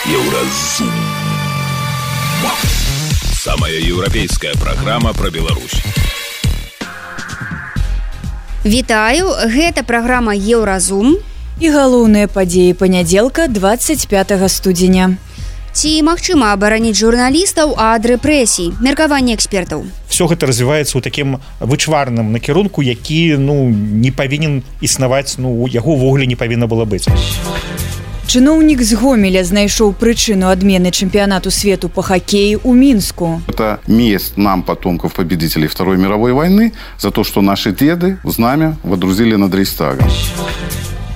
Еўразум. Самая еўрапейская праграма пра Беларусь. Вітаю, гэта праграма Еўразум. І галоўныя падзеі панядзелка 25 студзеня. Ці магчыма абараніць журналістаў ад рэпрэсій? Меркаванне экспертаў. Все гэта развіваецца ў такім вычварным накірунку, які не павінен існаваць, яго ўвогуле не павінна было быць. Чыноўнік з Гомеля знайшоў прычыну адмены чэмпіянату свету по хоккею ў Мінску. Это месть нам, потомков победителей Второй мировой войны, за то, что наши деды знамя водрузили над Рейхстагом.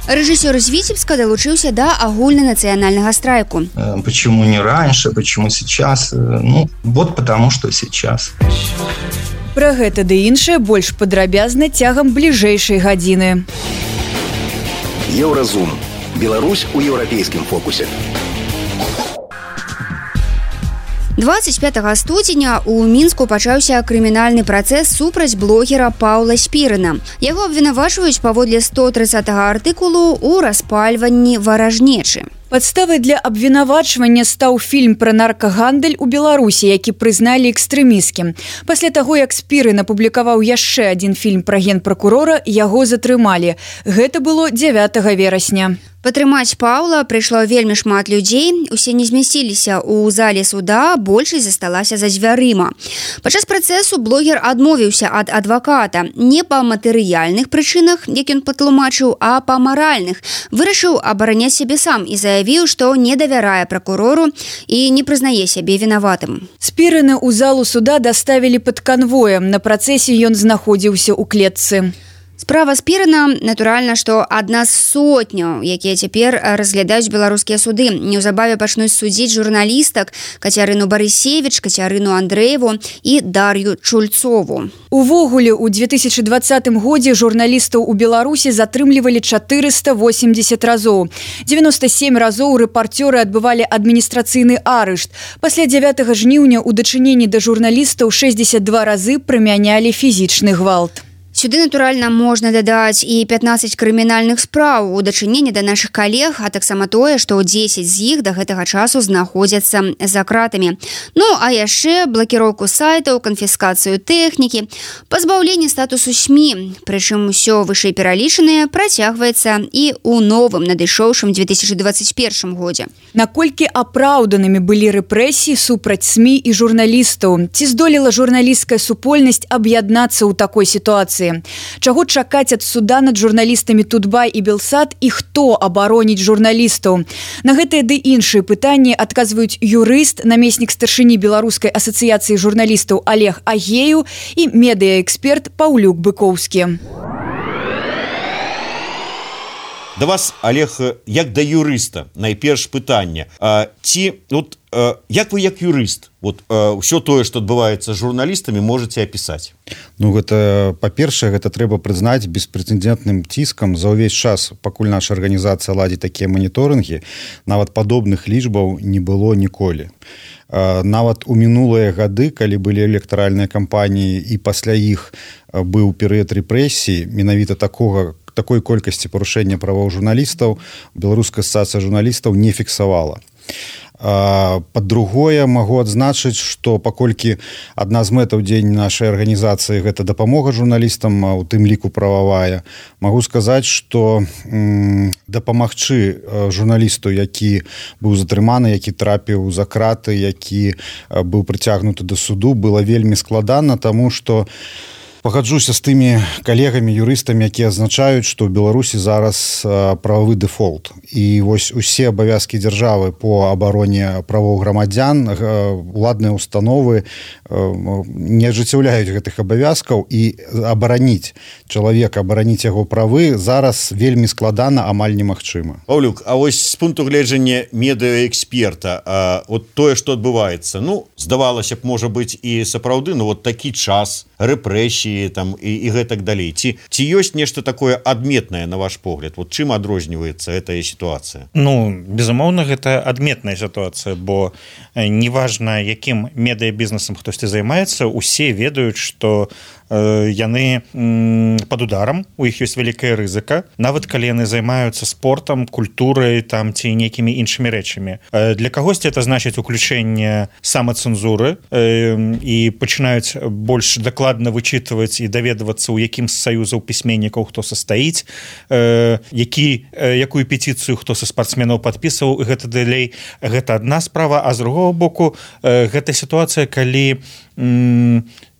Рэжысёр з Віцебска далучыўся да агульнанацыянальнага страйку. Почему не раньше, почему сейчас? Вот потому, что сейчас. Пра гэта ды іншае больш падрабязна цягам бліжэйшай гадзіны. Еўразум. Беларусь у еўрапейскім фокусе. 25 студзеня ў Мінску пачаўся крымінальны працэс супраць блогера Паўла Спірына. Яго абвінавачваюць паводле 130 артыкулу ў распальванні варажнечы. Падставай для абвінавачвання стаў фільм пра наркагандаль у Беларусі, які прызналі экстрэмісцкім. Пасля таго, як Спірын апублікаваў яшчэ адзін фільм пра генпракурора, яго затрымалі. Гэта было 9 верасня. Падтрымаць Паўла прыйшло вельмі шмат людзей. Усе не змясціліся ў зале суда, большасць засталася за дзвярыма. Падчас працэсу блогер адмовіўся ад адваката. Не па матэрыяльных прычынах, як ён патлумачыў, а па маральных. Вырашыў абараняць сябе сам і заявіў, што не давярае пракурору і не прызнае сябе вінаватым. Спірына ў залу суда даставілі пад канвоем. На працэсе ён знаходзіўся ў клетцы. Справа Спірына, натуральна, што адна з сотняў, якія цяпер разглядаюць беларускія суды. Неўзабаве пачнуць судзіць журналістак Кацярыну Барысевіч, Кацярыну Андрэеву і Дар'ю Чульцову. Увогуле, у 2020 годзе журналістаў у Беларусі затрымлівалі 480 разоў. 97 разоў рэпарцёры адбывалі адміністрацыйны арышт. Пасля 9 жніўня ў дачыненні да журналістаў 62 разы прымянялі фізічны гвалт. Сюды, натуральна, можна дадаць і 15 крымінальных спраў у дачыненні да нашых калег, а таксама тое, што 10 з іх да гэтага часу знаходзяцца за кратамі. А яшчэ блакіроўку сайтаў, канфіскацыю тэхнікі, пазбаўленне статусу СМІ. Прычым усё вышэйпералічанае працягваецца і ў новым надышоўшым 2021 годзе. Наколькі апраўданымі былі рэпрэсіі супраць СМІ і журналістаў? Ці здолела журналісцкая супольнасць аб'яднацца ў такой сітуацыі? Чаго чакаць ад суда над журналістамі Тутбай і Белсат і хто абароніць журналістаў? На гэтыя ды іншыя пытанні адказваюць юрыст, намеснік старшыні Беларускай асацыяцыі журналістаў Олег Агею і медыаэксперт Паўлюк Быкоўскі. Да вас, Олег, як да юрыста, найперш пытанне. Як вы як юрыст ўсё тое, што адбываецца з журналістамі, можаце апісаць? Гэта, па-першае, гэта трэба прызнаць беспрэцэдэнтным ціскам. За ўвесь час, пакуль наша арганізацыя ладзіць такія маніторынгі, нават падобных лічбаў не было ніколі. Нават у мінулыя гады, калі былі электаральныя кампаніі і пасля іх быў перыяд рэпрэсій, менавіта такой колькасці парушэння правоў журналістаў Беларуская асацыяцыя журналістаў не фіксавала. Па-другое, магу адзначыць, што паколькі адна з мэтаў дзень нашай арганізацыі гэта дапамога журналістам, у тым ліку прававая, магу сказаць, што дапамагчы журналісту, які быў затрыманы, які трапіў за краты, які быў прыцягнуты да суду, было вельмі складана, таму што пагаджуся з тымі калегамі, юрыстамі, якія азначаюць, што ў Беларусі зараз прававы дэфолт. І вось усе абавязкі дзяржавы по абароне правоў грамадзян, уладныя установы не ажыццяўляюць гэтых абавязкаў, і абараніць чалавека, абараніць яго правы зараз вельмі складана, амаль немагчыма. Паўлюк, а вось з пункту гледжання медыаэксперта, тое, што адбываецца, здавалася б, можа быць і сапраўды, такі час, рэпрэсіі там і гэтак далей. Ці ёсць нешта такое адметнае на ваш погляд? Вот чым адрозніваецца гэтая сітуацыя? Ну, безумоўна, гэта адметная сітуацыя, бо неважна, якім медыябізнесам хтосьці займаецца, усе ведаюць, што яны под ударом, у іх ёсць вялікая рызыка, нават калі яны займаюцца спортам, культурай там ці нейкімі іншымі рэчамі. Для кагосьці это значыць уключэнне самацэнзуры і пачынаюць больш дакладна вычытваць і даведвацца, у якім з саюзаў пісьменнікаў хто састаіць, якую петыцыю хто са спартсменаў падпісваў, і гэта далей. Гэта адна справа, а з другого боку гэта сітуацыя, калі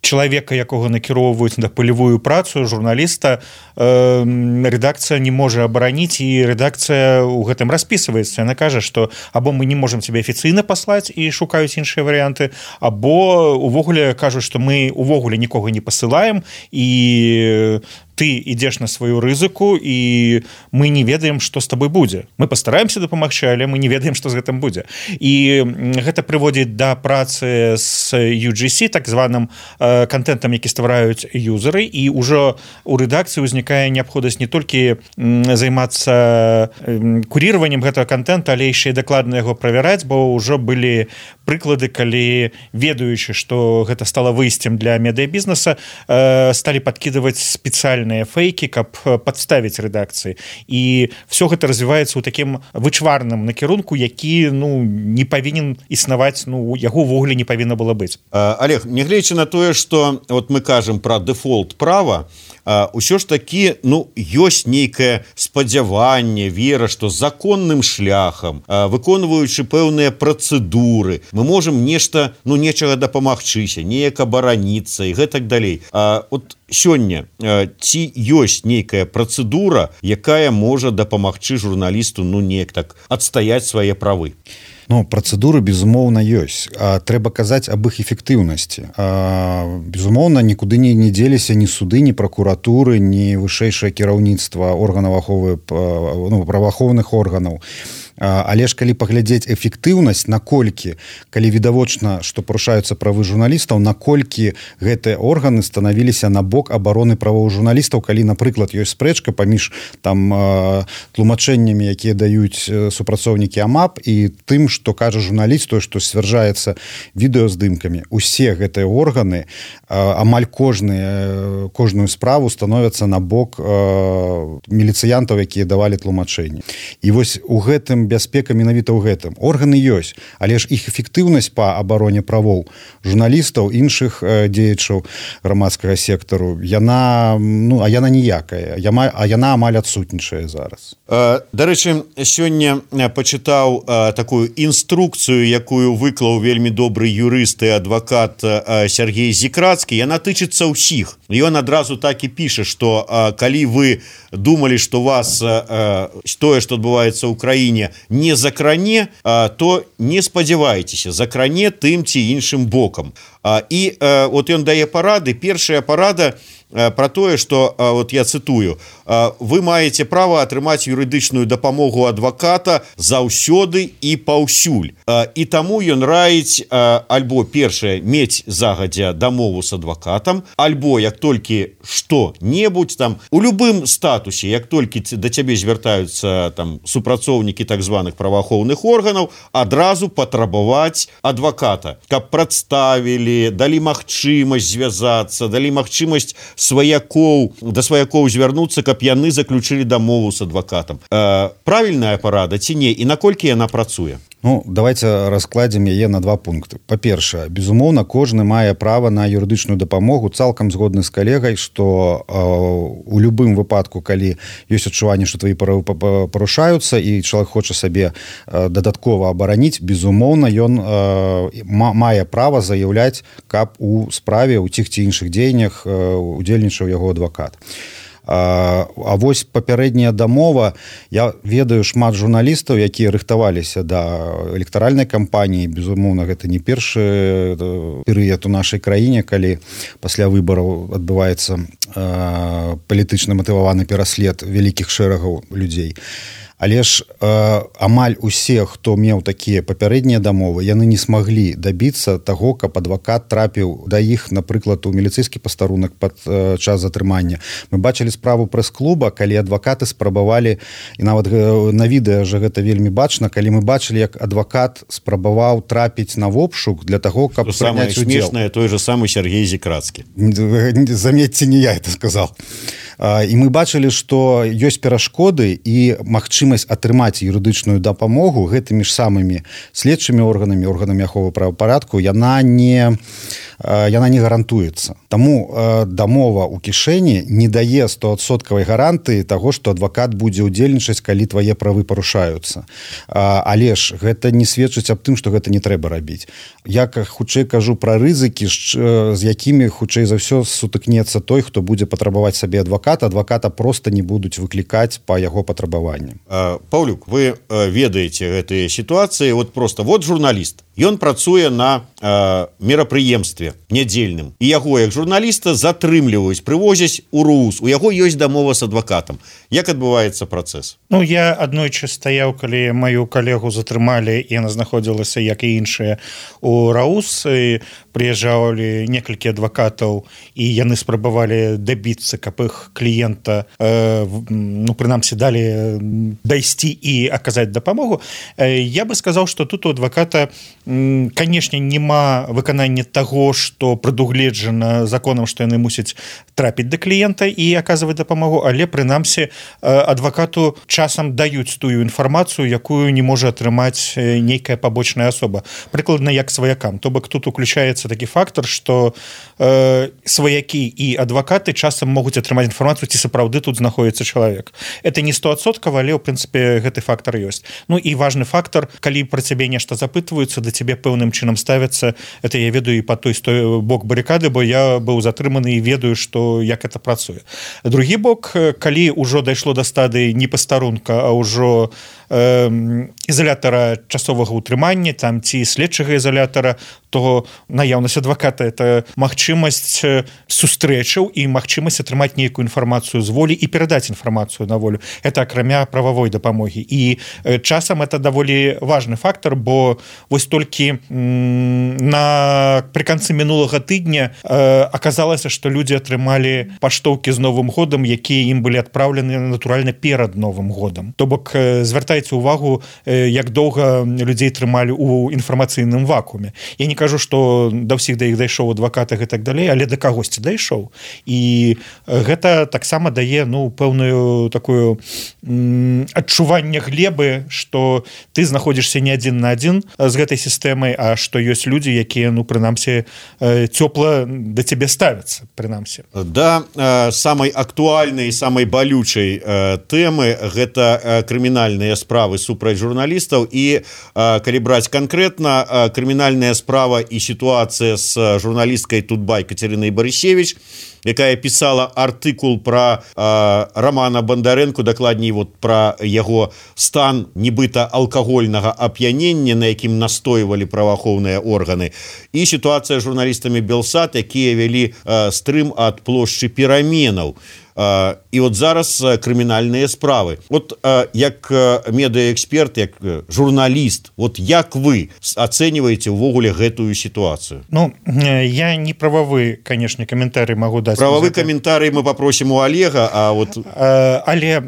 чалавека, якога накіроўваюць на палевую працу, журналіста, рэдакцыя не можа абараніць, і рэдакцыя ў гэтым распісваецца. Яна кажа, што або мы не можам цябе афіцыйна паслаць і шукаюць іншыя варыянты, або увогуле кажуць, што мы увогуле нікога не пасылаем, і ты ідзеш на сваю рызыку, і мы не ведаем, што з табой будзе. Мы пастараемся дапамагчы, але мы не ведаем, што з гэтым будзе. І гэта прыводзіць да працы з UGC, так званым контентам, які ствараюць юзеры, і ўжо у рэдакцыі ўзнікае неабходнасць не толькі займацца куріраваннем гэтага контента, але яшчэ і дакладна яго правяраць, бо ўжо былі прыклады, калі, ведаючы, што гэта стала выйсцем для медыябізнеса, сталі падкідаваць спецыяльныя фейкі, каб падставіць рэдакцыі. І все гэта развіваецца ў такім вычварным накірунку, які не павінен існаваць, яго ўвогуле не павінна было быць. Олег, нягледзячы на тое, што вот мы кажам пра дэфолт права, ўсё ж такі ёсць нейкае спадзяванне, вера, што законным шляхам, выконваючы пэўныя працэдуры, мы можам нечага дапамагчыся, неяк абараніцца і гэтак далей. От сёння ці ёсць нейкая працэдура, якая можа дапамагчы журналісту неяк так адстаяць свае правы? Працэдуры, безумоўна, ёсць. Трэба казаць аб іх эфектыўнасці. Безумоўна, нікуды не дзеліся ні суды, ні пракуратуры, ні вышэйшае кіраўніцтва органаў праваахоўных органаў. Але ж калі паглядзець эфектыўнасць, наколькі, калі відавочна, што парушаюцца правы журналістаў, наколькі гэтыя органы станавіліся на бок абароны правоў журналістаў, калі, напрыклад, ёсць спрэчка паміж тлумачэннямі, якія даюць супрацоўнікі АМАП, і тым, што кажа журналіст, тое, што сцвярджаецца відэаздымкамі. Усе гэтыя органы, амаль кожную справу становяцца на бок міліцыянтаў, якія давалі тлумачэнні. І вось у гэтым бяспека менавіта ў гэтым. Органы ёсць, але ж іх эфектыўнасць па абароне правоў журналістаў, іншых дзеячаў грамадскага сектару, яна ніякая, яна амаль адсутнічае зараз. Дарэчы, сёння пачытаў такую інструкцыю, якую выклаў вельмі добры юрыст і адвакат Сергей Зікрацкі. Яна тычыцца ўсіх. Ён адразу так і піша, што калі вы думалі, што вас тое, што адбываецца ў краіне, не закране, то не спадзявайцеся, закране тым ці іншым бокам. І от ён дае парады. Першая парада про тое, што, вот я цытую, вы маеце права атрымаць юрыдычную дапамогу адваката заўсёды і паўсюль. І таму ён раіць альбо першае мець загадзя дамову з адвакатам, альбо як толькі што-небудзь там у любым статусе, як толькі да цябе звяртаюцца там супрацоўнікі так званых праваахоўных органаў, адразу патрабаваць адваката, каб прадставілі, далі магчымасць звязацца, далі магчымасць да сваякоў звярнуцца, каб яны заключылі дамову з адвакатам. Правільная парада ці не, і наколькі яна працуе? Давайте раскладзем яе на два пункты. Па-першае, безумоўна, кожны мае права на юрыдычную дапамогу, цалкам згодны з калегай, што у любым выпадку, калі ёсць адчуванне, што твои правы парушаюцца і чалавек хоча сабе дадаткова абараніць, безумоўна, ён мае права заяўляць, каб у справе ў тых ці іншых дзеяннях удзельнічаў яго адвакат. А вось папярэдняя дамова, я ведаю шмат журналістаў, якія рыхтаваліся да электаральнай кампаніі. Безумоўна, гэта не першы перыяд у нашай краіне, калі пасля выбараў адбываецца палітычна матываваны пераслед вялікіх шэрагаў людзей. але ж амаль усе, хто меў такія папярэднія дамовы, яны не смаглі дабіцца таго, каб адвакат трапіў да іх, напрыклад, у міліцэйскі пастарунак пад час затрымання. Мы бачылі справу прэс-клуба, калі адвакаты спрабавалі, і нават на відэа же гэта вельмі бачна, калі мы бачылі, як адвакат спрабаваў трапіць на вобшук для таго, каб прыняць удзел. Смешнае той же самы Сергей Зікрацкі. Заметьте, не я это сказал. І мы бачылі, што ёсць перашкоды і магчымасць атрымаць юрыдычную дапамогу гэтымі ж самымі следчымі органамі аховы правапарадку, яна не гарантуецца. Таму дамова ў кішэні не дае 100% гарантыі таго, што адвакат будзе ўдзельнічаць, калі твае правы парушаюцца. Але ж гэта не сведчыць аб тым, што гэта не трэба рабіць. Я хутчэй кажу пра рызыкі, з якімі хутчэй за ўсё сутыкнецца той, хто будзе патрабаваць сабе адваката проста не будуць выклікаць па яго патрабаванням. Паўлюк, вы ведаеце гэтыя сітуацыі, вот журналіст, ён працуе на мерапрыемстве нядзельным, і яго як журналіста затрымліваюць, прывозяць у РУС, у яго ёсць дамова з адвакатам. Як адбываецца працэс? Я аднойчы стаяў, калі маю калегу затрымалі, і яна знаходзілася, як і іншыя, у РАУС, і прыязджалі некалькі адвакатаў, і яны спрабавалі дабіцца, каб іх кліента, прынамсі, далі дайсці і аказаць дапамогу. Я бы сказаў, што тут у адваката, канешне, няма выканання таго, што прадугледжана законам, што яны мусяць трапіць да кліента і аказваць дапамогу, але, прынамсі, адвакату часам даюць тую інфармацыю, якую не можа атрымаць нейкая пабочная асоба. Прыкладна, як сваякам. То бок тут уключаецца такі фактор, што сваякі і адвакаты часам могуць атрымаць інфармацыю, ці сапраўды тут знаходзіцца чалавек. Это не 100%, але, ў прынцыпе, гэты фактор ёсць. І важны фактор, калі пра цябе нешта запытваюцца, да цябе пэўным чынам ставяцца, это я ведаю і па той бок барыкады, бо я быў затрыманы і ведаю, што як это працуе. Другі бок, калі ўжо дайшло да стадыі не пастарунка, а ўжо ізалятара часовага ўтрымання, там ці следчага ізалятара, то наяўнасць адваката — это магчымасць сустрэчаў і магчымасць атрымаць нейкую інфармацыю з волі і перадаць інфармацыю на волю. Это акрамя прававой дапамогі. І часам это даволі важны фактор, бо вось толькі пры канцы мінулага тыдня аказалася, што людзі атрымалі паштоўкі з Новым годам, якія ім былі адпраўлены натуральна перад Новым годам. То бок, звяртайце увагу, як доўга людзей трымалі ў інфармацыйным вакууме. Я не кажу, што да ўсіх да іх дайшоў адваката і так далей, але да кагосьці дайшоў. І гэта таксама дае пэўную такую адчуванне глебы, што ты знаходзішся не адзін на адзін з гэтай сістэмай, а што ёсць людзі, якія, прынамсі, цёпла да цябе ставяцца, прынамсі. Да самай актуальнай, самай балючай тэмы гэта крымінальныя справы супраць журналістаў, і калі браць канкрэтна, крымінальная справа і сітуацыя з журналісткай Тутбай Кацярынай Барысевіч, якая пісала артыкул пра Рамана Бандарэнку, дакладней пра яго стан нібыта алкагольнага ап'янення, на якім настойвалі праваахоўныя органы, і сітуацыя з журналістамі Белсат, якія вялі стрым ад плошчы Пераменаў. І зараз крымінальныя справы. Як медыаэксперт, як журналіст, як вы ацэньваеце ўвогуле гэтую сітуацыю? Я не прававы, канешне, каментарый магу даць. Прававы каментарый мы попросім у Олега, але,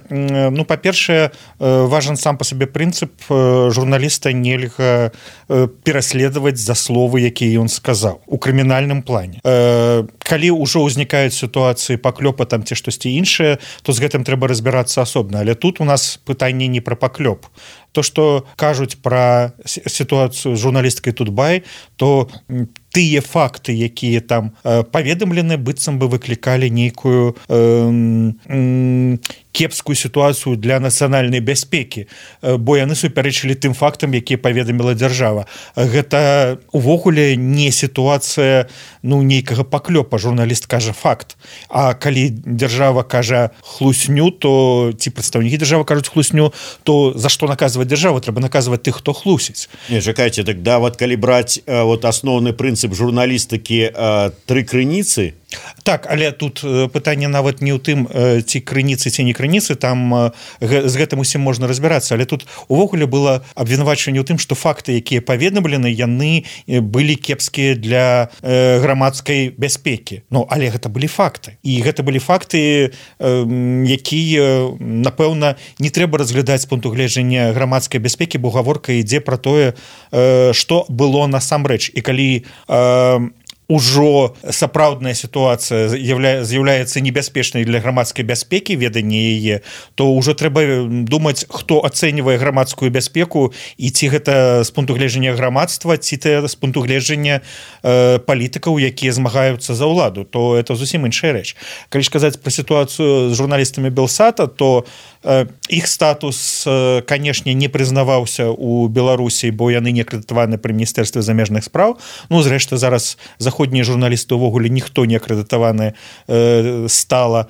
па-першае, важен сам па сабе прынцып, журналіста нельга пераследаваць за словы, якія ён сказаў у крымінальным плане. Калі ўжо ўзнікаюць сітуацыі паклёпа там ці штосьці іншае, то з гэтым трэба разбірацца асобна. Але тут у нас пытанне не пра паклёп. То, што кажуць пра сітуацыю з журналісткай Тутбай, то тыя факты, якія там паведамлены, быццам бы выклікалі нейкую кепскую сітуацыю для нацыянальнай бяспекі, бо яны супярэчылі тым фактам, якія паведаміла дзяржава. Гэта увогуле не сітуацыя нейкага паклёпа. Журналіст кажа факт. А калі дзяржава кажа хлусню, то ці прадстаўнікі дзяржавы кажуць хлусню, то за што наказваць дзяржаву? Трэба наказваць тых, хто хлусіць. Не, чакайце, калі браць асноўны прынцып журналістыкі тры крыніцы, Так, але тут пытанне нават не ў тым, ці крыніцы, ці не крыніцы, там з гэтым усім можна разбірацца, але тут увогуле было абвінавачванне ў тым, што факты, якія паведамлены, яны былі кепскія для грамадскай бяспекі. Ну, але гэта былі факты. І гэта былі факты, якія, напэўна, не трэба разглядаць з пункту гледжання грамадскай бяспекі, бо гаворка ідзе пра тое, што было насамрэч. І калі ужо сапраўдная сітуацыя з'яўляецца небяспечнай для грамадскай бяспекі, веданне яе, то ўжо трэба думаць, хто ацэньвае грамадскую бяспеку і ці гэта з пункту гледжання грамадства, ці з пункту гледжання палітыкаў, якія змагаюцца за ўладу, то это зусім іншая рэч. Калі ж казаць пра сітуацыю з журналістамі Белсата, то іх статус, канешне, не прызнаваўся ў Беларусі, бо яны не акрэдытаваны пры міністэрстве замежных спраў. Ну, зрэшты, зараз заходнія журналісты ўвогуле ніхто не акрэдытаваны стала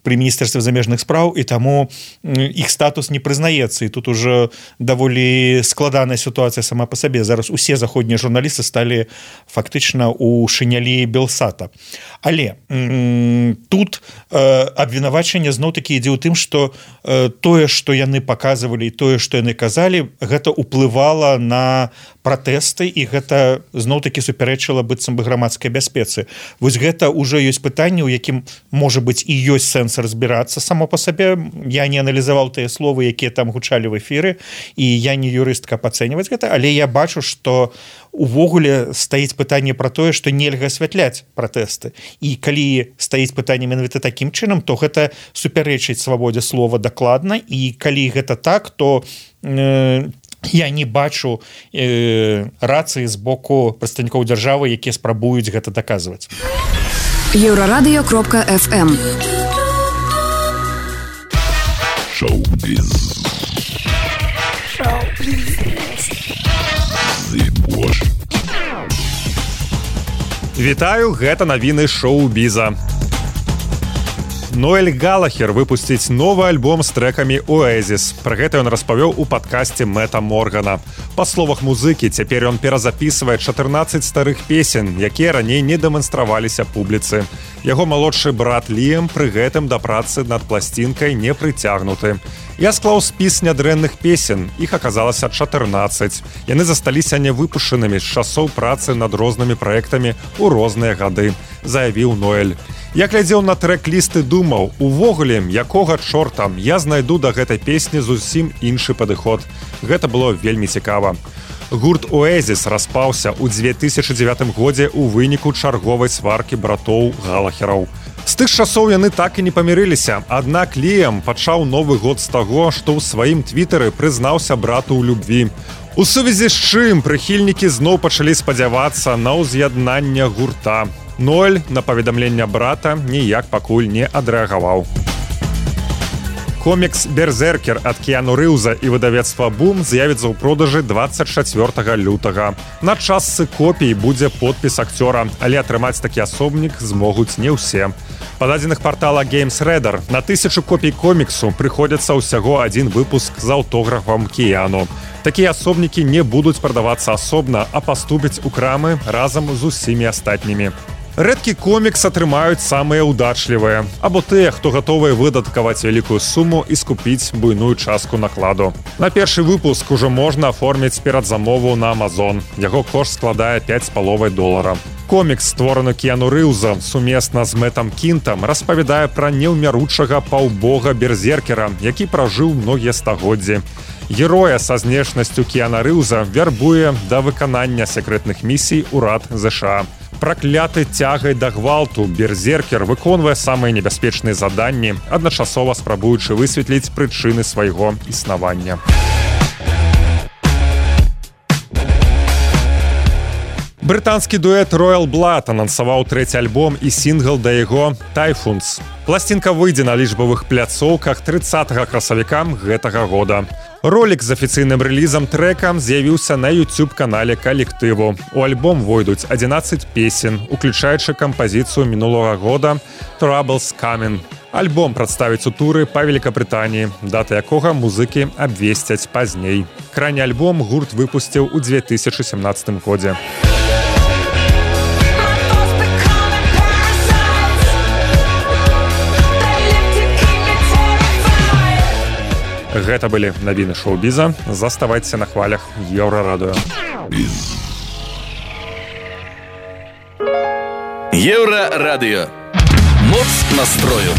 пры міністэрстве замежных спраў, і таму іх статус не прызнаецца. І тут ужо даволі складаная сітуацыя сама па сабе. Зараз усе заходнія журналісты сталі фактычна ў шынялі Белсата. Але тут абвінавачанне зноў-такі ідзе ў тым, што тое, што яны паказвалі, і тое, што яны казалі, гэта ўплывала на пратэсты, і гэта зноў-такі супярэчыла быццам бы грамадскай бяспецы. Вось гэта ўжо ёсць пытанне, у якім, можа быць, і ёсць сэнс разбірацца само па сабе. Я не аналізаваў тыя словы, якія там гучалі в эфіры, і я не юрыст, каб ацэньваць гэта, але я бачу, што увогуле стаіць пытанне пра тое, што нельга асвятляць пратэсты. І калі стаіць пытанне менавіта такім чынам, то гэта супярэчыць свабодзе слова дакладна, і калі гэта так, то я не бачу рацыі з боку прадстаўнікоў дзяржавы, якія спрабуюць гэта даказваць. Еўрарадыё.фм Шоу-біз. Вітаю, гэта навіны шоу-біза. Ноэль Галахер выпусціць новы альбом з трэкамі «Оэзіс». Пра гэта ён распавёў у падкасце Мэта Моргана. Па словах музыкі, цяпер ён перазапісвае 14 старых песен, якія раней не дэманстраваліся публіцы. Яго малодшы брат Ліам пры гэтым да працы над пласцінкай не прыцягнуты. Я склаў спіс нядрэнных песен, іх аказалася 14. Яны засталіся невыпушчанымі з часоў працы над рознымі праектамі ў розныя гады, заявіў Ноэль. Я глядзеў на трэк-лісты, думаў, увогуле, якога чорта, я знайду да гэтай песні зусім іншы падыход. Гэта было вельмі цікава. Гурт «Оэзіс» распаўся ў 2009 годзе ў выніку чарговай сваркі братоў Галахераў. З тых часоў яны так і не памірыліся, аднак Ліам пачаў новы год з таго, што ў сваім твітары прызнаўся брату ў любві. У сувязі з чым прыхільнікі зноў пачалі спадзявацца на ўз'яднанне гурта. Ноэль на паведамленне брата ніяк пакуль не адрэагаваў. Комікс «Берзеркер» ад Кіану Рыўза і выдавецтва «Бум» з'явіцца ў продажы 24 лютага. На частцы копій будзе подпіс акцёра, але атрымаць такі асобнік змогуць не ўсе. Па дадзеных партала GamesRadar на 1000 копій коміксу прыходзіцца ўсяго адзін выпуск з аўтографам Кіану. Такія асобнікі не будуць прадавацца асобна, а паступяць у крамы разам з усімі астатнімі. Рэдкі комікс атрымаюць самыя ўдачлівыя, або тыя, хто гатовыя выдаткаваць вялікую суму і скупіць буйную частку накладу. На першы выпуск ужо можна аформіць перадзамову на Amazon. Яго кошт складае $5,5. Комікс, створаны Кіану Рыўза сумесна з Мэтам Кінтам, распавядае пра неўмяручага паўбога Берзеркера, які пражыў многія стагоддзі. Героя са знешнасцю Кіана Рыўза вярбуе да выканання секрэтных місій урад ЗША. Пракляты цягай да гвалту, Берзеркер выконвае самыя небяспечныя заданні, адначасова спрабуючы высветліць прычыны свайго існавання. Брытанскі дуэт Royal Blood анансаваў трэці альбом і сінгл да яго «Typhoons». Пласцінка выйдзе на лічбавых пляцоўках 30 красавіка гэтага года. Ролік з афіцыйным рэлізам трэка з'явіўся на YouTube-канале калектыву. У альбом войдуць 11 песен, уключаючы кампазіцыю мінулага года «Trouble's Coming». Альбом прадставіць у туры па Великабрытаніі, дата якога музыкі абвесцяць пазней. Крайні альбом гурт выпусціў у 2017 годзе. Гэта былі навіны шоу-біза. Заставайцеся на хвалях Еўрарадыё. Еўрарадыё. Моц настрою.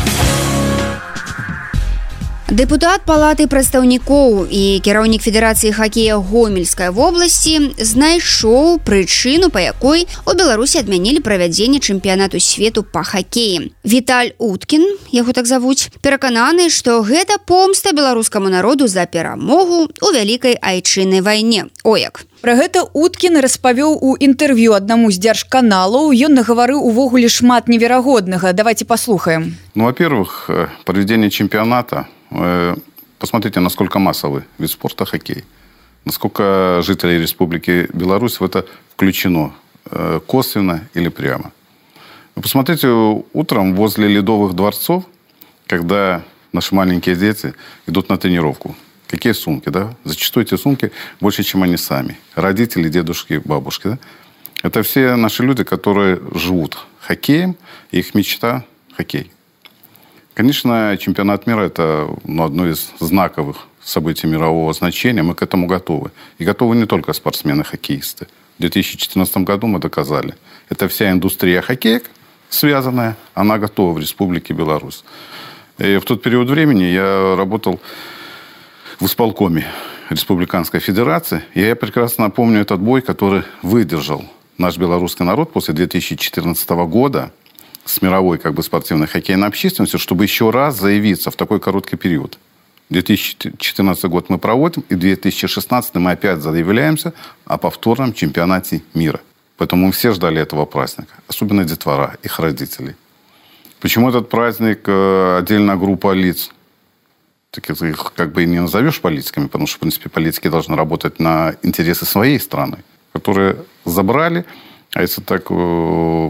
Дэпутат палаты прадстаўнікоў і кіраўнік Федэрацыі хакея Гомельскай вобласці знайшоў прычыну, па якой у Беларусі адмянілі правядзенне чэмпіянату свету па хакеі. Віталь Уткін, яго так завуць, перакананы, што гэта помста беларускаму народу за перамогу ў вялікай айчыннай вайне. Ояк. Пра гэта Уткін распавёў у інтэрв'ю аднаму з дзяржканалаў. Ён нагаварыў увогуле шмат неверагоднага. Давайте послухаем. Ну, во-первых, проведение чемпионата. Посмотрите, насколько массовый вид спорта хоккей. Насколько жителей Республики Беларусь в это включено косвенно или прямо. Вы посмотрите, утром возле Ледовых дворцов, когда наши маленькие дети идут на тренировку, какие сумки, да? Зачастую эти сумки больше, чем они сами. Родители, дедушки, бабушки, да? Это все наши люди, которые живут хоккеем, и их мечта – хоккей. Конечно, чемпионат мира – это одно из знаковых событий мирового значения. Мы к этому готовы. И готовы не только спортсмены-хоккеисты. В 2014 году мы доказали. Это вся индустрия хоккея связанная, она готова в Республике Беларусь. И в тот период времени я работал в исполкоме Республиканской Федерации. И я прекрасно помню этот бой, который выдержал наш белорусский народ после 2014 года с мировой спортивной хоккейной общественностью, чтобы еще раз заявиться в такой короткий период. 2014 год мы проводим, и 2016 мы опять заявляемся о повторном чемпионате мира. Поэтому мы все ждали этого праздника, особенно детвора, их родителей. Почему этот праздник отдельная группа лиц? Их и не назовешь политиками, потому что, в принципе, политики должны работать на интересы своей страны, которые забрали. А если так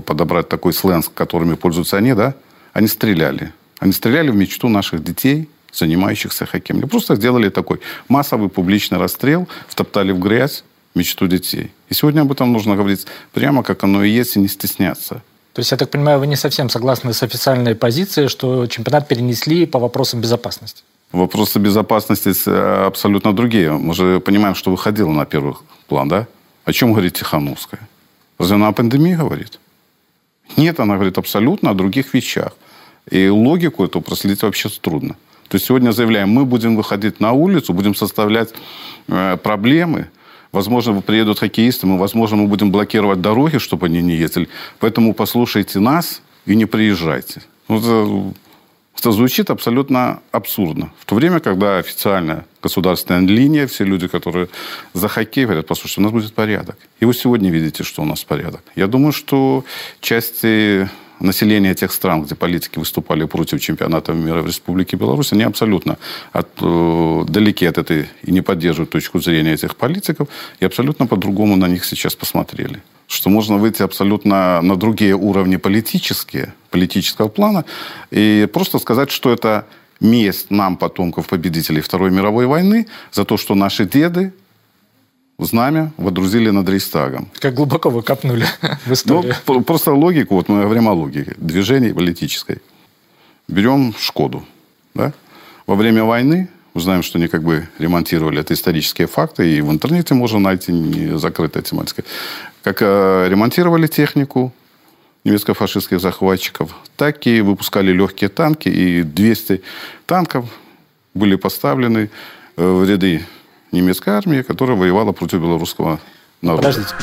подобрать такой сленг, которыми пользуются они, да, они стреляли. Они стреляли в мечту наших детей, занимающихся хоккеем. Они просто сделали такой массовый публичный расстрел, втоптали в грязь мечту детей. И сегодня об этом нужно говорить прямо, как оно и есть, и не стесняться. То есть, я так понимаю, вы не совсем согласны с официальной позицией, что чемпионат перенесли по вопросам безопасности? Вопросы безопасности абсолютно другие. Мы же понимаем, что выходило на первый план, да? О чем говорит Тихановская? Разве она о пандемии говорит? Нет, она говорит абсолютно о других вещах. И логику эту проследить вообще трудно. То есть сегодня заявляем, мы будем выходить на улицу, будем составлять проблемы. Возможно, приедут хоккеисты, возможно, мы будем блокировать дороги, чтобы они не ездили. Поэтому послушайте нас и не приезжайте. Это звучит абсолютно абсурдно. В то время, когда официальная государственная линия, все люди, которые за хоккей, говорят, послушайте, у нас будет порядок. И вы сегодня видите, что у нас порядок. Я думаю, что части населения тех стран, где политики выступали против чемпионата мира в Республике Беларусь, они абсолютно далеки от этой и не поддерживают точку зрения этих политиков, и абсолютно по-другому на них сейчас посмотрели. Что можно выйти абсолютно на другие уровни политического плана, и просто сказать, что это месть нам, потомков победителей Второй мировой войны, за то, что наши деды знамя водрузили над Рейхстагом. Как глубоко вы копнули в историю. Просто логику, мы говорим о логике движений политической. Берем Шкоду. Да? Во время войны, мы знаем, что они ремонтировали, это исторические факты, и в интернете можно найти не закрытая тематика. Как ремонтировали технику немецко-фашистских захватчиков, так и выпускали легкие танки, и 200 танков были поставлены в ряды немецкой армии, которая воевала против белорусского народа. Подождите.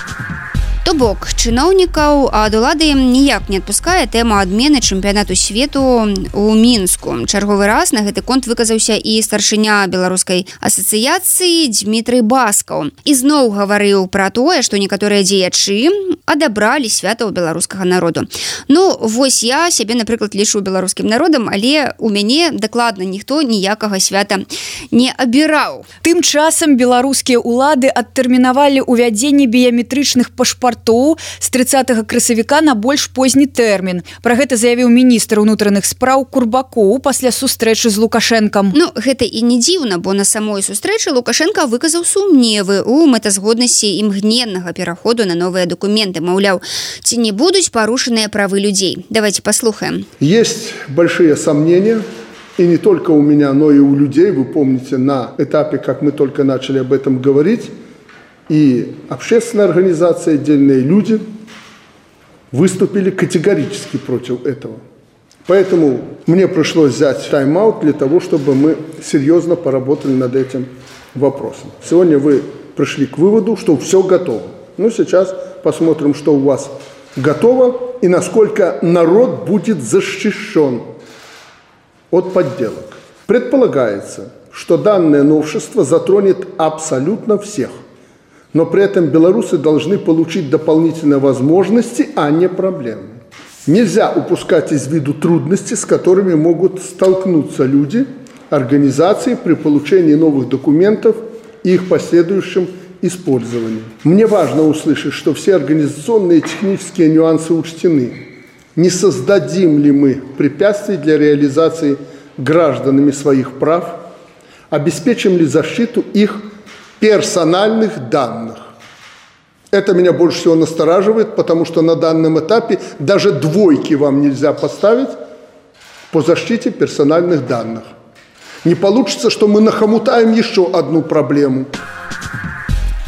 То бок, чыноўнікаў ад улады ніяк не адпускае тэма адмены чэмпіянату свету ў Мінску. Чарговы раз на гэты конт выказаўся і старшыня беларускай асацыяцыі Дмітрый Баскаў. І зноў гаварыў пра тое, што некаторыя дзеячы адабралі свята ў беларускага народу. Вось я сябе, напрыклад, лічу беларускім народам, але у мяне дакладна ніхто ніякага свята не абіраў. Тым часам беларускія ўлады адтэрмінавалі ўвядзенне біяметрычных пашпартоў з 30 красавіка на больш позні тэрмін. Пра гэта заявіў міністр унутраных спраў Курбакоў пасля сустрэчы з Лукашэнкам. Гэта і не дзіўна, бо на самой сустрэчы Лукашенко выказаў сумневы ў мэтазгоднасці імгненнага пераходу на новыя документы. Маўляў, ці не будуць парушаныя правы людзей. Давайте послухаем. Есть большие сомнения и не только у меня, но и у людей, вы помните, на этапе, как мы только начали об этом говорить, и общественная организация, отдельные люди выступили категорически против этого. Поэтому мне пришлось взять тайм-аут для того, чтобы мы серьезно поработали над этим вопросом. Сегодня вы пришли к выводу, что все готово. Ну, сейчас посмотрим, что у вас готово и насколько народ будет защищен от подделок. Предполагается, что данное новшество затронет абсолютно всех. Но при этом белорусы должны получить дополнительные возможности, а не проблемы. Нельзя упускать из виду трудности, с которыми могут столкнуться люди, организации при получении новых документов и их последующем использовании. Мне важно услышать, что все организационные и технические нюансы учтены. Не создадим ли мы препятствий для реализации гражданами своих прав? Обеспечим ли защиту их персональных данных? Это меня больше всего настораживает, потому что на данном этапе даже двойки вам нельзя поставить по защите персональных данных. Не получится, что мы нахомутаем еще одну проблему.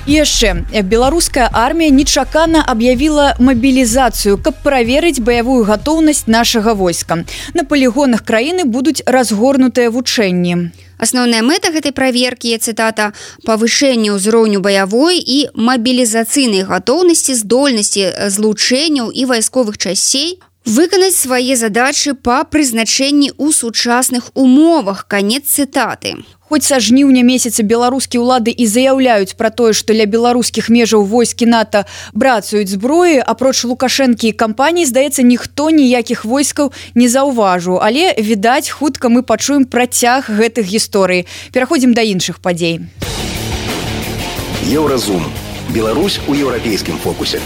І яшчэ беларуская армія нечакана аб'явіла мабілізацыю, каб праверыць баявую гатоўнасць нашага войска. На палігонах краіны будуць разгорнутыя вучэнні. Асноўная мэта гэтай праверкі, цытата, павышэнне ўзроўню баявой і мабілізацыйнай гатоўнасці, здольнасці злучэнняў і вайсковых часцей выканаць свае задачы па прызначэнні ў сучасных умовах. Канец цытаты. Хоць са жніўня месяца беларускія ўлады і заяўляюць пра тое, што ля беларускіх межаў войскі НАТО брацаюць зброі, апроч Лукашэнкі і кампаній, здаецца, ніхто ніякіх войскаў не заўважыў. Але, відаць, хутка мы пачуем працяг гэтых гісторый. Пераходзім да іншых падзей. Еўразум. Беларусь у еўрапейскім фокусе.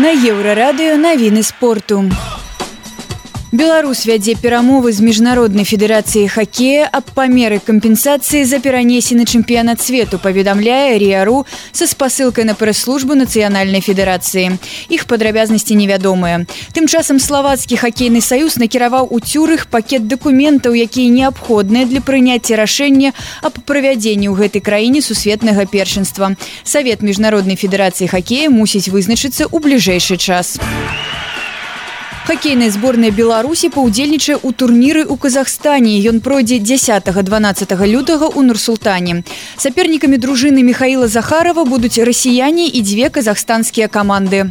На Еўрарадыё навіны спорту. Беларусь вядзе перамовы з міжнароднай федэрацыяй хакея аб памеры кампенсацыі за перанесены чэмпіянат свету, паведамляе РИА.ру са спасылкай на прэс-службу нацыянальнай федэрацыі. Іх падрабязнасці невядомыя. Тым часам славацкі хакейны саюз накіраваў у Цюрых пакет дакументаў, якія неабходныя для прыняцця рашэння аб правядзенні ў гэтай краіне сусветнага першынства. Савет міжнароднай федэрацыі хакея мусіць вызначыцца ў бліжэйшы час. Хакейная зборная Беларусі паўдзельнічае ў турніры ў Казахстане. Ён пройдзе 10-12 лютага ў Нур-Султане. Сапернікамі дружыны Михаіла Захарова будуць расіяне і 2 казахстанскія каманды.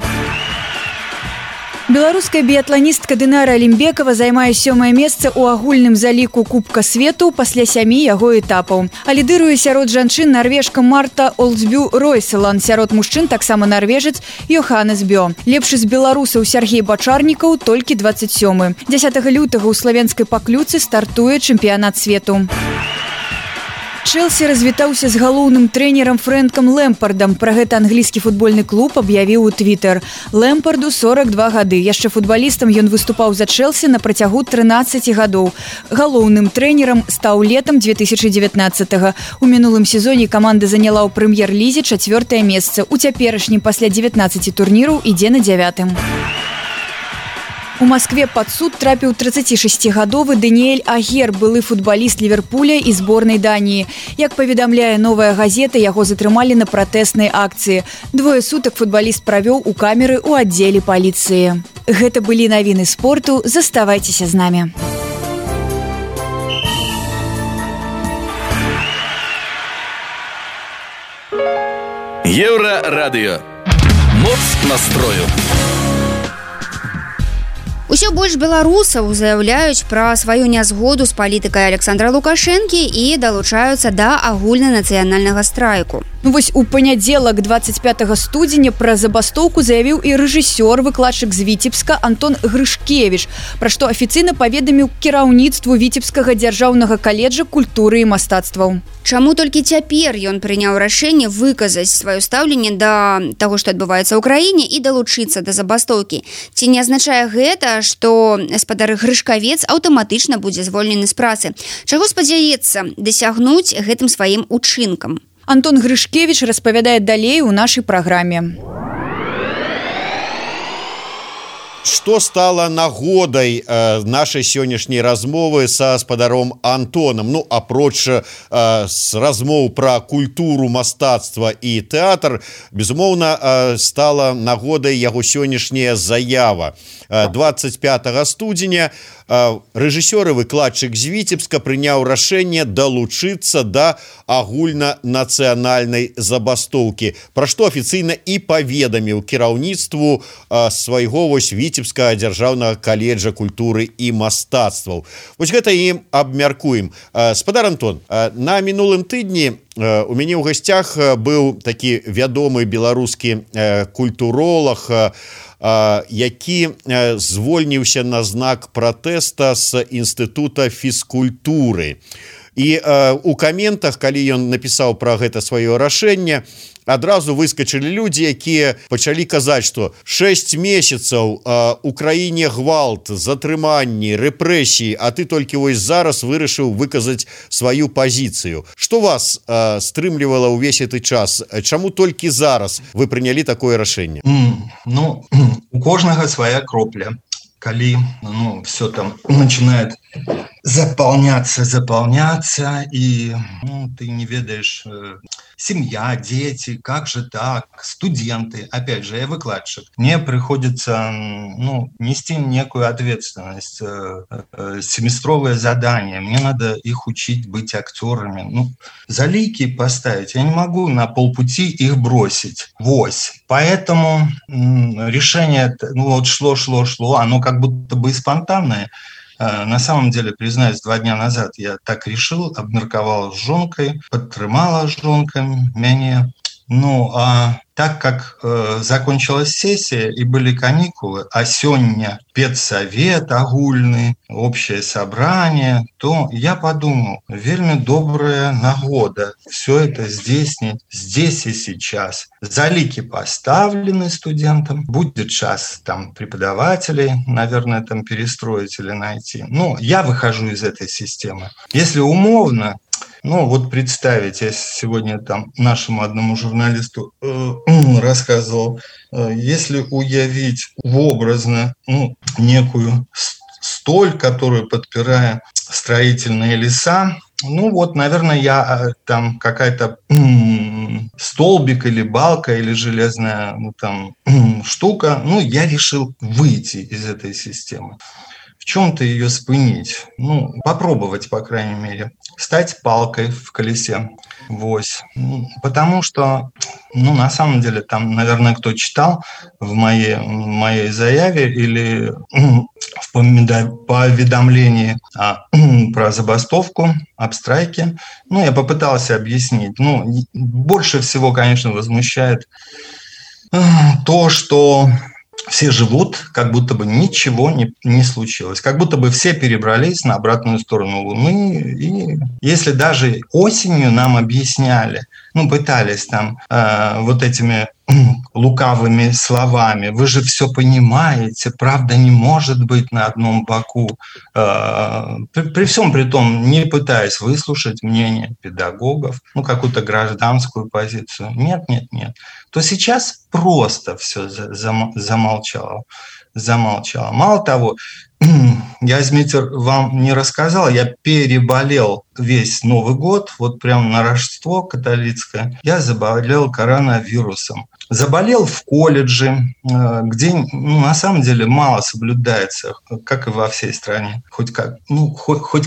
Беларуская біятланістка Дынара Алімбекова займае 7-е месца ў агульным заліку Кубка свету пасля 7 яго этапаў. А лідыруе сярод жанчын нарвежка Марта Олдсбю Ройселан, сярод мужчын таксама нарвежец Йоханнес Бё. Лепшы з беларусаў Сергей Бачарнікаў толькі 27-ы. 10 лютага ў славенскай Паклюцы стартуе чэмпіянат свету. Челси развітаўся з галоўным трэнерам Фрэнкам Лэмпардам. Пра гэта англійскі футбольны клуб аб'явіў у Твиттер. Лэмпарду 42 гады. Яшчэ футбалістам ён выступаў за Челси на працягу 13 гадоў. Галоўным трэнерам стаў летам 2019-го. У мінулым сезоне каманда заняла ў прэм'ер-лізе 4-е месца. У цяперашнім пасля 19 турніраў ідзе на 9-м. У Москве пад суд трапіў 36-гадовы Даніэль Агер, былы футбаліст Ліверпуля і зборнай Даніі. Як паведамляе «Новая газета», яго затрымалі на пратэснай акцыі. 2 сутак футбаліст правёў у камеры ў аддзеле паліцыі. Гэта былі навіны спорту. Заставайцеся з намі. Еўрарадыё. Моц настрою. Усё больш беларусаў заяўляюць пра сваю нязгоду з палітыкай Александра Лукашэнкі і далучаюцца да агульнанацыянальнага страйку. Ну вось у панядзелак 25 студзеня пра забастоўку заявіў і рэжысёр, выкладчык з Віцебска Антон Грышкевіч, пра што афіцыйна паведаміў кіраўніцтву Віцебскага дзяржаўнага каледжа культуры і мастацтваў. Чаму толькі цяпер ён прыняў рашэнне выказаць сваё стаўленне да таго, што адбываецца ў краіне, і далучыцца да забастоўкі? Ці не азначае гэта, што гаспадар Грышкавец аўтаматычна будзе звольнены з працы? Чаго спадзяецца дасягнуць гэтым сваім учынкам? Антон Грышкевіч. Распавядае далей у нашай праграме. Что стало нагодай нашей сённяшняй размовы со спадаром Антоном? Ну, апроч с размоў про культуру, мастацтва и театр, безумоўна, стала нагодай яго сённяшняя заява. 25 студзеня рэжысёр і выкладчык з Віцебска прыняў рашэнне далучыцца да агульнанацыянальнай забастоўкі, пра што афіцыйна і паведаміў кіраўніцтву свайго Віцебскага дзяржаўнага каледжа культуры і мастацтваў. Вось гэта і абмяркуем. Спадар Антон, на мінулым тыдні у мяне ў гасцях быў такі вядомы беларускі культуролог, які звольніўся на знак пратэста з інстытута фізкультуры. І у каментах, калі ён напісаў пра гэта сваё рашэнне, адразу выскачылі людзі, якія пачалі казаць, што 6 месяцаў у краіне гвалт, затрыманні, рэпрэсіі, а ты толькі вось зараз вырашыў выказаць сваю пазіцыю. Што вас стрымлівала ўвесь гэты час? Чаму толькі зараз вы прынялі такое рашэнне? Ну, у кожнага свая кропля. Коли все там начинает заполняться, и ты не ведаешь, семья, дети, как же так, студенты, опять же, я выкладчик. Мне приходится нести некую ответственность, семестровое задание, мне надо их учить быть актерами. Залики поставить, я не могу на полпути их бросить. Поэтому решение, шло, оно как будто бы и спонтанное. На самом деле, признаюсь, 2 дня назад я так решил, обмерковал с жонкой, подтрымала жонка меня. А так как закончилась сессия и были каникулы, а сёння педсовет агульный, общее собрание, то я подумал, вельми добрая нагода все это здесь и сейчас. Залики поставлены студентам, будет час там преподавателей, наверное, там перестроить или найти. Я выхожу из этой системы. Если умовно, представить, я сегодня там нашему одному журналисту рассказывал, если уявить образно некую столь, которую подпирая строительные леса, наверное, я там какая-то столбик или балка или железная штука, я решил выйти из этой системы. В чем-то ее спынить, попробовать, по крайней мере, стать палкой в колесе. Потому что, на самом деле, там, наверное, кто читал в моей заяве или в поведомлении про забастовку, об страйке, я попытался объяснить. Больше всего, конечно, возмущает то, что все живут, как будто бы ничего не случилось. Как будто бы все перебрались на обратную сторону Луны. И если даже осенью нам объясняли, пытались там этими лукавыми словами, вы же все понимаете, правда не может быть на одном боку. При всем при том, не пытаясь выслушать мнение педагогов, какую-то гражданскую позицию. Нет. То сейчас просто все замолчало. Мало того, я, Змитер, вам не рассказал, я переболел весь Новый год, прямо на Рождество католицкое, я заболел коронавирусом. Заболел в колледже, где, на самом деле, мало соблюдается, как и во всей стране. Хоть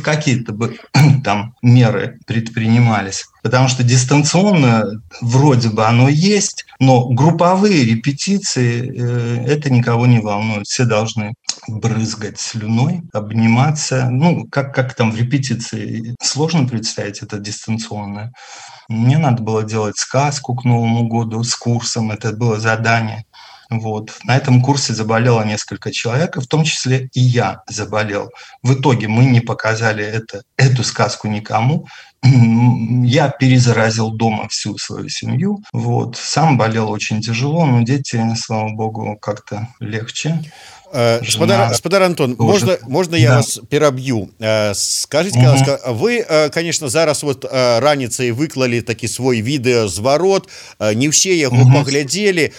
какие-то бы там меры предпринимались. Потому что дистанционно вроде бы оно есть, но групповые репетиции, это никого не волнует. Все должны брызгать слюной, обниматься. Как там в репетиции, сложно представить это дистанционное. Мне надо было делать сказку к Новому году с курсом, это было задание. На этом курсе заболело несколько человек, в том числе и я заболел. В итоге мы не показали эту сказку никому. Я перезаразил дома всю свою семью. Сам болел очень тяжело, но дети, слава богу, как-то легче. Спадар Антон, можно я вас пераб'ю? Скажите, ласка, вы, конечно, зараз вот раніцай выклали такі свой відэазварот, не ўсе яго паглядзелі,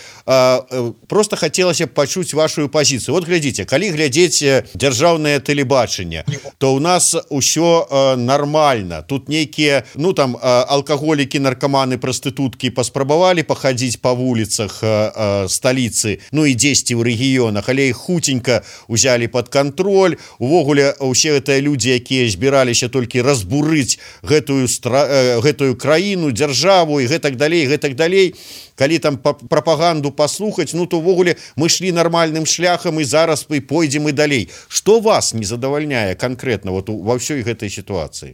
просто хацелася пачуць вашу пазіцыю. Вот глядзіце, калі глядзець дзяржаўнае тэлебачанне, то у нас усё нормально. Тут нейкія, ну там алкаголікі, наркаманы, прастытуткі паспрабавалі пахадзіць па вуліцах сталіцы, ну і дзесьці ў рэгіёнах, але іх хуценька узялі под контроль. Увогуле усе гэтыя людзі, якія збіраліся толькі разбурыць гэтую краіну, дзяржаву і гэтак далей, калі там прапаганду паслухаць, ну то ўвогуле мы шлі нармальным шляхам і зараз мы пойдзем і далей. Што вас не задавальняе конкретно вот во всей гэтай ситуации?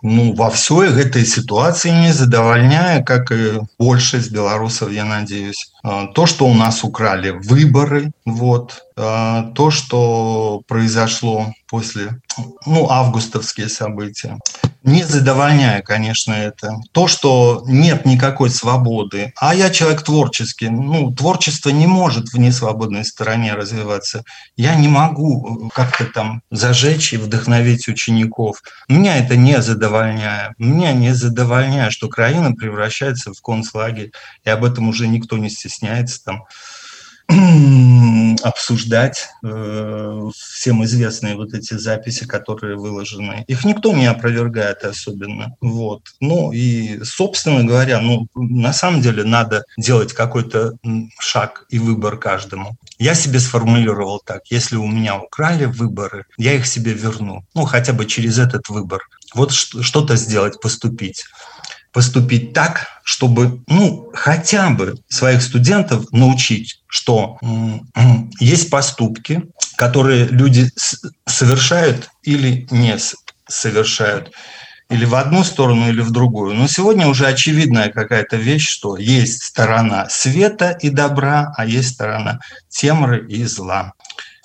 Ну, во всей этой ситуации не задовольняет, как и большинство белорусов, я надеюсь. То, что у нас украли выборы, вот, то, что произошло после, ну, августовские события. Не задовольняет, конечно, это. То, что нет никакой свободы. А я человек творческий. Ну, творчество не может в несвободной стороне развиваться. Я не могу как-то там зажечь и вдохновить учеников. Меня это не задовольняет. Меня не задовольняет, что Украина превращается в концлагерь. И об этом уже никто не стесняется там обсуждать всем известные вот эти записи, которые выложены. Их никто не опровергает особенно. Вот. Ну и, собственно говоря, ну, на самом деле надо делать какой-то шаг и выбор каждому. Я себе сформулировал так: если у меня украли выборы, я их себе верну. Ну, хотя бы через этот выбор. Вот что-то сделать, поступить так, чтобы, ну, хотя бы своих студентов научить, что есть поступки, которые люди совершают или не совершают, или в одну сторону, или в другую. Но сегодня уже очевидная какая-то вещь, что есть сторона света и добра, а есть сторона темры и зла.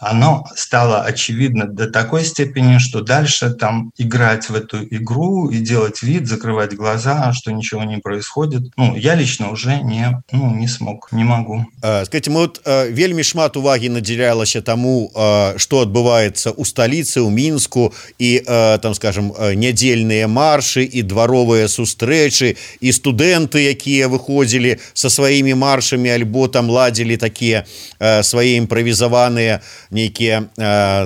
Оно стало очевидно до такой степени, что дальше там играть в эту игру и делать вид, закрывать глаза, что ничего не происходит, ну, я лично уже не смог, не могу. Скажите, вот вельмі шмат уваги надзялялася тому, что адбываецца у столицы, у Мінску, и там, скажем, нядзельныя маршы и дворовые сустрэчы, и студенты, якія выходзілі со своими маршами, альбо там ладзілі такие свои импровизованные нейкія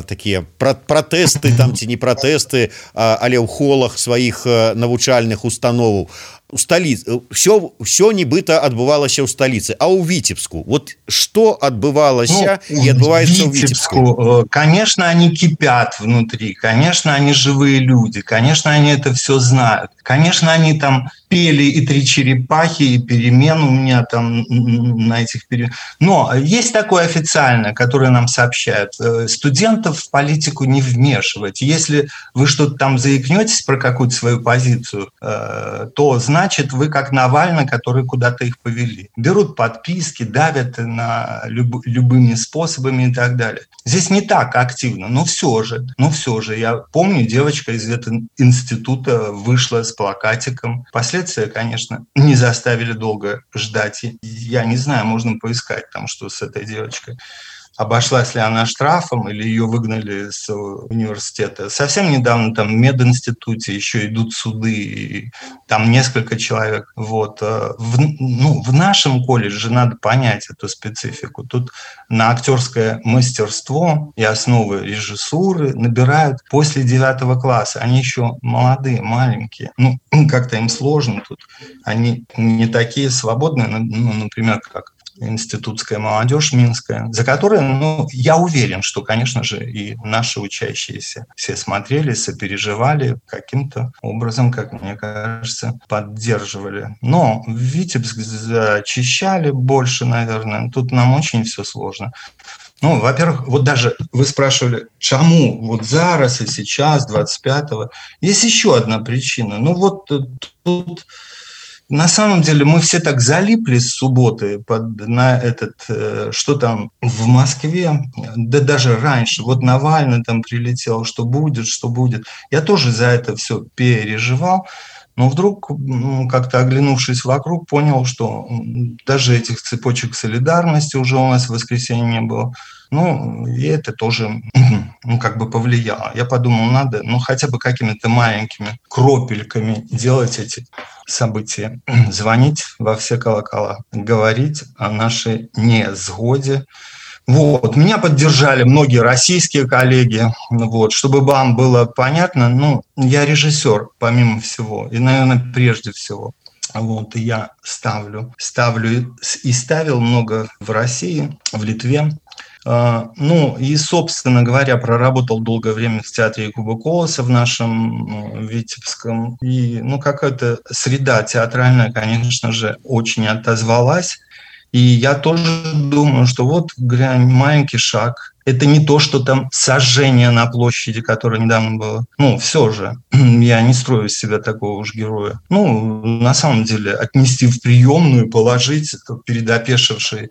такія пратэсты там ці не пратэсты, але ў холах сваіх навучальных установаў. У столице все нібыта адбывалася ў столице, а у Витебску вот что адбывалася и отбывается у Витебску? Конечно, они кипят внутри, конечно, они живые люди, конечно, они это все знают, конечно, они там пели и «Три черепахи», и «Перемен» у меня там на этих переменах. Но есть такое официальное, которое нам сообщают: студентов в политику не вмешивать. Если вы что-то там заикнетесь про какую-то свою позицию, то значит вы как Навальный, который куда-то их повели. Берут подписки, давят на любыми способами и так далее. Здесь не так активно, но все же. Я помню, девочка из этого института вышла с плакатиком. Последствия, конечно, не заставили долго ждать. Я не знаю, можно поискать там, что с этой девочкой. Обошлась ли она штрафом или ее выгнали с университета. Совсем недавно там в мединституте еще идут суды, и там несколько человек. Вот. В нашем колледже надо понять эту специфику. Тут на актерское мастерство и основы режиссуры набирают после 9 класса. Они еще молодые, маленькие. Ну, как-то им сложно тут. Они не такие свободные, ну, например, как институтская молодежь минская, за которой, ну, я уверен, что, конечно же, и наши учащиеся все смотрели, сопереживали, каким-то образом, как мне кажется, поддерживали. Но Витебск зачищали больше, наверное. Тут нам очень все сложно. Ну, во-первых, вот даже вы спрашивали, чему вот зараз и сейчас, 25-го. Есть еще одна причина. Ну, вот тут На самом деле мы все так залипли с субботы на что там в Москве, да даже раньше, вот Навальный там прилетел, что будет. Я тоже за это все переживал, но вдруг, как-то оглянувшись вокруг, понял, что даже этих цепочек солидарности уже у нас в воскресенье не было. И это тоже повлияло. Я подумал, надо хотя бы какими-то маленькими кропельками делать эти события. Звонить во все колокола, говорить о нашей несгоде. Меня поддержали многие российские коллеги. Чтобы вам было понятно, я режиссер, помимо всего, и, наверное, прежде всего. И я ставлю и ставил много в России, в Литве. И, собственно говоря, проработал долгое время в театре Якуба Колоса в нашем Витебском. И, какая-то среда театральная, конечно же, очень отозвалась. И я тоже думаю, что маленький шаг. Это не то, что там сожжение на площади, которое недавно было. Все же. Я не строю из себя такого уж героя. На самом деле, отнести в приемную, положить перед опешившей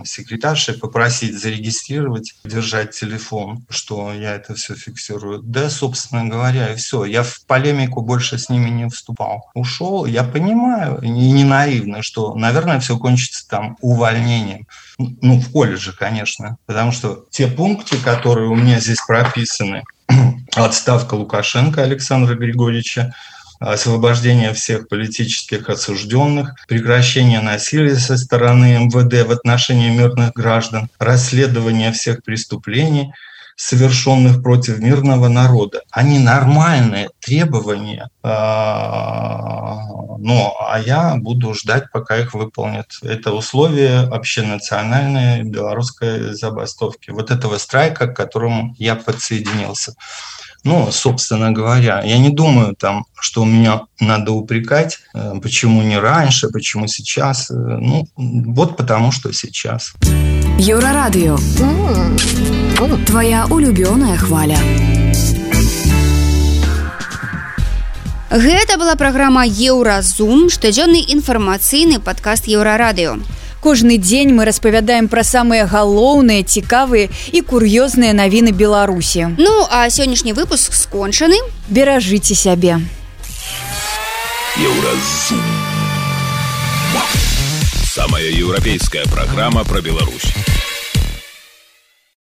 секретаршей, попросить зарегистрировать, держать телефон, что я это все фиксирую. Да, собственно говоря, и все. Я в полемику больше с ними не вступал. Ушел. Я понимаю, и не наивно, что, наверное, все кончится там увольнением. В колледже, конечно. Потому что те пункты, которые у меня здесь прописаны, отставка Лукашенко Александра Григорьевича, освобождение всех политических осужденных, прекращение насилия со стороны МВД в отношении мирных граждан, расследование всех преступлений, совершенных против мирного народа. Они нормальные требования, а я буду ждать, пока их выполнят. Это условия общенациональной белорусской забастовки. Этого страйка, к которому я подсоединился. Собственно говоря, я не думаю, что меня надо упрекать, почему не раньше, почему сейчас. Потому что сейчас. Еўрарадыё. Твоя улюбёная хваля. Гэта была праграма Еўразум, штодзённы інфармацыйны падкаст Еўрарадыё. Кожны дзень мы распавядаем пра самыя галоўныя, цікавыя і кур'ёзныя навіны Беларусі. А сённяшні выпуск скончаны. Беражыце сябе. Еўразум. Самая европейская программа про Беларусь.